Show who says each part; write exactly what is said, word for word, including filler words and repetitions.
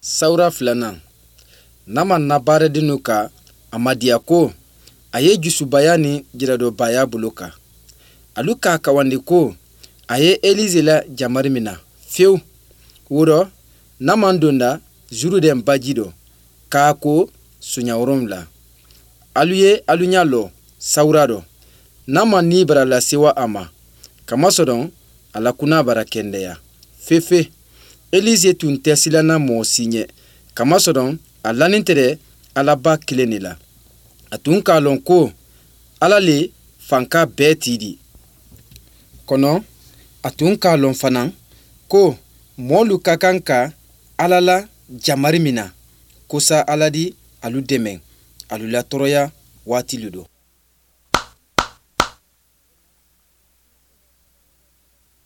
Speaker 1: Sawura filanan, Naman na baaradennu ka a madiya ko a ye jusubaya ni jiradɔbaya bolo kan. Alu k'a kawandi ko a ye Elize la jamari mina fewu. Wo rɔ, Naman donda Zurudɛn baji dɔ k'a ko soɲa wolonwula. Alu ye alu ɲa lɔ sawura dɔ. Naman ni bara lasewa a ma, kamasɔrɔ a la kuna bara kɛndɛya fefe. Elize tun tɛ silanna mɔgɔ si ɲɛ, kamasɔrɔ a lanin tɛrɛ Alaba kelen de la. A tun k'a lɔn ko Ala le fanka bɛɛ tii di. Kɔnɔ a tun k'a lɔn fana ko mɔɔlu ka kan ka Ala la jamari mina kosa Ala di alu dɛmɛ alu la tɔɔrɔya waatilu dɔ.